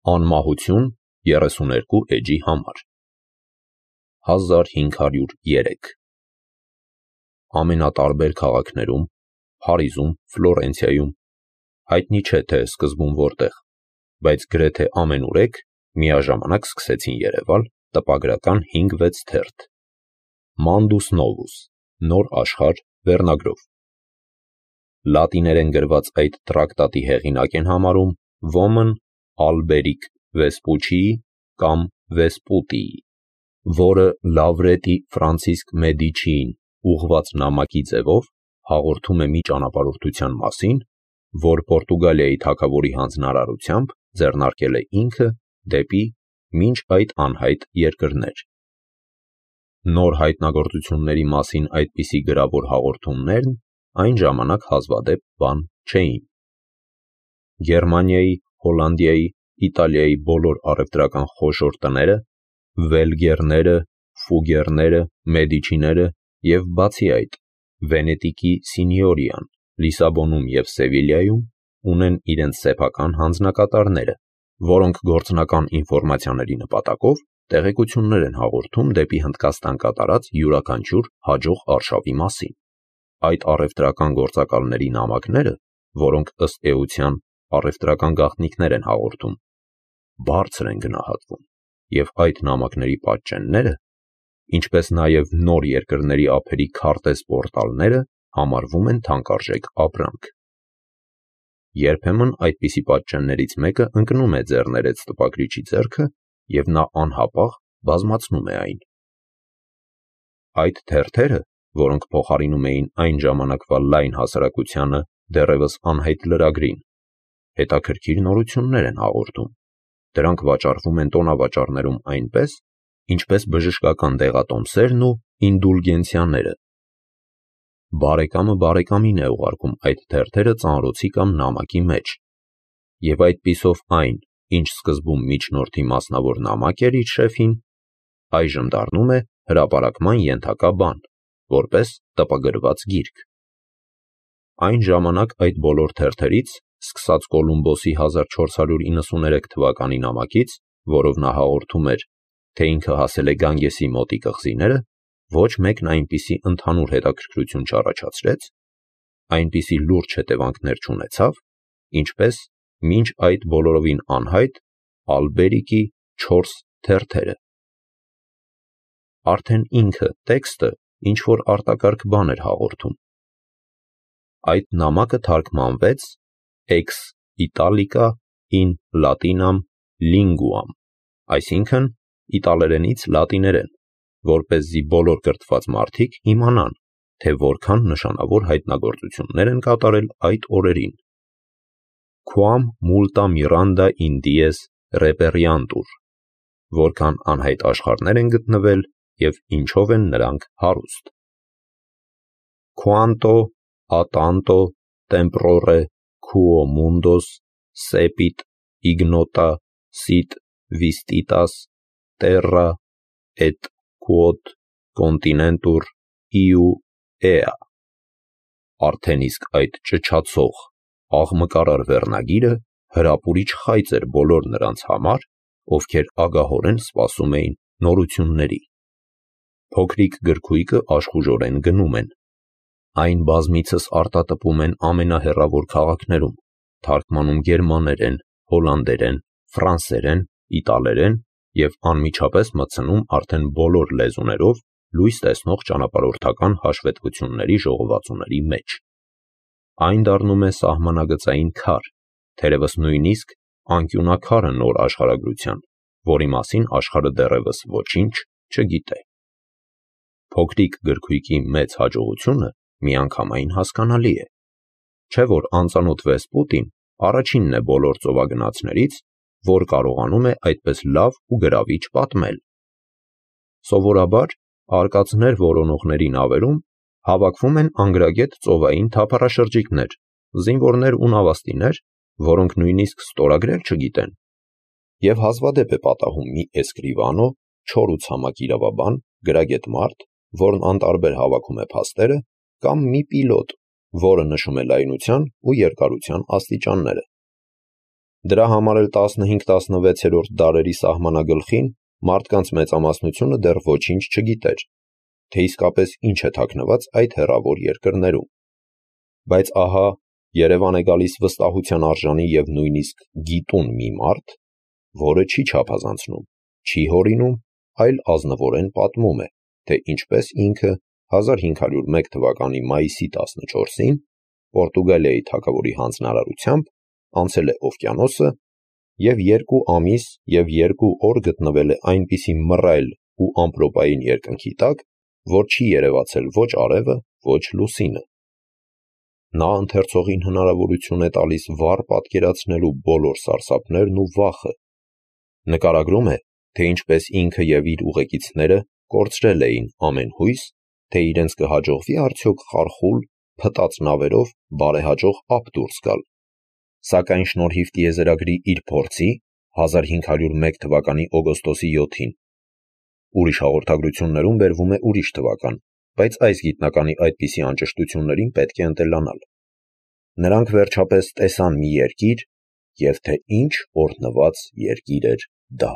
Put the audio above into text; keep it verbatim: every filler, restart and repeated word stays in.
Անմահություն երեսուներկու էջի համար հազար հինգ հարյուր երեք Ամենատարբեր քաղաքներում, Փարիզում, Ֆլորենցիայում, հայտնի չէ թե սկզբում որտեղ, բայց գրեթե ամենուրեք միաժամանակ սկսեցին երևալ տպագրական հինգ-վեց թերթ. Mandus Novus, նոր աշխարհ վերնագրով։ Լատիներեն գրված այդ տրակտատի հեղինակ են համարում ոմն Ալբերիկ Վեսպուչիի կամ Վեսպուտիի, որը Լավրետի Ֆրանցիսկ Մեդիչիին ուղղված նամակի ձևով հաղորդում է մի ճանապարհորդության մասին, որ Պորտուգալիայի թագավորի հանձնարարությամբ ձեռնարկել է ինքը դեպի մինչ այդ անհայտ երկրներ։ Նոր հայտնագործությունների մասին այդպիսի գրավոր հաղորդումներն այն ժամանակ հազվադեպ բան չէին։ Գերմանիայի, Հոլանդիայի, Իտալիայի բոլոր առևտրական խոշոր տները, Վելգերները, Ֆուգերները, Մեդիչիները և բացի այդ, Վենետիկի Սինյորիան, Լիսաբոնում և Սևիլիայում ունեն իրենց սեփական հանձնակատարները, որոնք գործնական ինֆորմացիաների նպատակով տեղեկություններ են հաղորդում դեպի Հնդկաստան կատարած յուրաքանչյուր հաջող արշավի մասին։ Այդ առևտրական գործակալների նամակները, որոնք ըստ էության առևտրական գաղտնիքներ են հաղորդում, բարձր են գնահատվում, և այդ նամակների պատճենները, ինչպես նաև նոր երկրների ափերի քարտեզ պորտալները համարվում են թանկարժեք ապրանք։ Երբեմն այդպիսի պատճեններից մեկը ընկնում է ձեռներեց տպագրիչի ձեռքը և նա անհապաղ բազմացնում է այն։ Այդ թերթերը, որոնք փոխարինում էին այն ժամանակվա լայն հասարակությանը դեռևս անհայտ լրագրին, հետաքրքիր նորություններ են հաղորդում, դրանք վաճառվում են տոնավաճառներում այնպես, ինչպես բժշկական դեղատոմսերն ու ինդուլգենցիաները։ Բարեկամը բարեկամին է ուղարկում այդ թերթերը ծանրոցի կամ նամակի մեջ, և այդպիսով այն, ինչ սկզբում միջնորդի մասնավոր նամակ էր իր շեֆին, այժմ դառնում է հրապարակման ենթակա բան, որպես տպագրված գիրք։ Այն ժամանակ այդ բոլոր թերթերից, սկսած Կոլումբոսի հազար չորս հարյուր իննսուներեք թվականի նամակից, որով նա հաղորդում էր, թե ինքը հասել է Գանգեսի մոտիկ կղզիները, ոչ մեկն այնպիսի ընդհանուր հետաքրքրություն չառաջացրեց, այնպիսի լուրջ հետևանքներ չունեցավ, ինչպես մինչ այդ բոլորովին անհայտ Ալբերիկի չորս թերթերը։ Արդեն ինքը տեքստը ինչ-որ արտակարգ բան էր հաղորդում։ Այդ նամակը թարգմանվեց ex italica in Latinam linguam, այսինքն իտալերենից լատիներեն, որպեսզի բոլոր կրթված մարդիկ իմանան, թե որքան նշանավոր հայտնագործություններ են կատարել այդ օրերին։ Quam multa miranda in dies reperiantur, որքան անհայտ աշխարհներ են գտնվել և ինչով են նրանք հարուստ։ Quanto a tanto temporore quo mundos cepit ignota sit vistitas terra et quod continentur iu ea, արդեն իսկ այդ ճչացող, աղմկարար վերնագիրը հրապուրիչ խայծ էր բոլոր նրանց համար, ովքեր ագահորեն սպասում էին նորությունների։ Փոքրիկ գրքույկը աշխուժորեն գնում են։ Այն բազմիցս արտատպում են ամենահեռավոր քաղաքներում, թարգմանում գերմաներեն, հոլանդերեն, ֆրանսերեն, իտալերեն և անմիջապես մտցնում արդեն բոլոր լեզուներով լույս տեսնող ճանապարհորդական հաշվետվությունների ժողովածուների մեջ։ Այն դառնում է սահմանագծային քար, թերևս նույնիսկ անկյունաքարը նոր աշխարհագրության, որի մասին աշխարհը դեռևս ոչինչ չգիտե։ Փոքրիկ գրքույկի մեծ հաջողությունը միանգամայն հասկանալի է, չէ՞ որ անծանոթ Վեսպուտին առաջինն է բոլոր ծովագնացներից, որ կարողանում է այդպես լավ ու գրավիչ պատմել։ Սովորաբար արկածներ որոնողների նավերում հավաքվում են անգրագետ ծովային թափառաշրջիկներ, զինվորներ ու նավաստիներ, որոնք նույնիսկ ստորագրել չգիտեն, և հազվադեպ է պատահում մի էսկրիվանո, չոր ու ցամաք իրավաբան, գրագետ մարդ, որն անտարբեր հավաքում է փաստերը, կամ մի պիլոտ, որը նշում է լայնության ու երկարության աստիճանները։ Դրա համար էլ տասնհինգ տասնվեցերորդ դարերի սահմանագլխին մարդկանց մեծամասնությունը դեռ ոչինչ չգիտեր, թե իսկապես ինչ է թաքնված այդ հեռավոր երկրներում։ Բայց ահա Երևան է գալիս վստահության արժանի և նույնիսկ գիտուն մի մարդ, որը չի չափազանցնում, չի հորինում, այլ ազնվորեն պատմում է, թե ինչպես ինքը հազար հինգ հարյուր մեկ թվականի մայիսի տասնչորսին Պորտուգալիայի թագավորի հանձնարարությամբ անցել է օվկիանոսը և երկու ամիս և երկու օր գտնվել է այնպիսի մռայլ ու ամպրոպային երկնքի տակ, որ չի երևացել ոչ արևը, ոչ լուսինը։ Նա ընթերցողին հնարավորություն է տալիս վառ պատկերացնելու բոլոր սարսափներն ու վախը։ Նկարագրում է, թե ինչպես ինքը և իր ուղեկիցները կորցրել էին ամեն հույս, թե իրենց կհաջողվի արդյոք խարխուլ, փտած նավերով բարեհաջող ափ դուրս գալ, սակայն շնորհիվ տիեզերագրի իր փորձի հազար հինգ հարյուր մեկ թվականի օգոստոսի յոթին։ Ուրիշ հաղորդագրություններում բերվում է ուրիշ թվական, բայց այս գիտնականի այդպիսի անճշտություններին պետք է ընտելանալ։ Նրանք վերջապես տեսան մի երկիր, և թե ինչ օրհնված երկիր էր դա։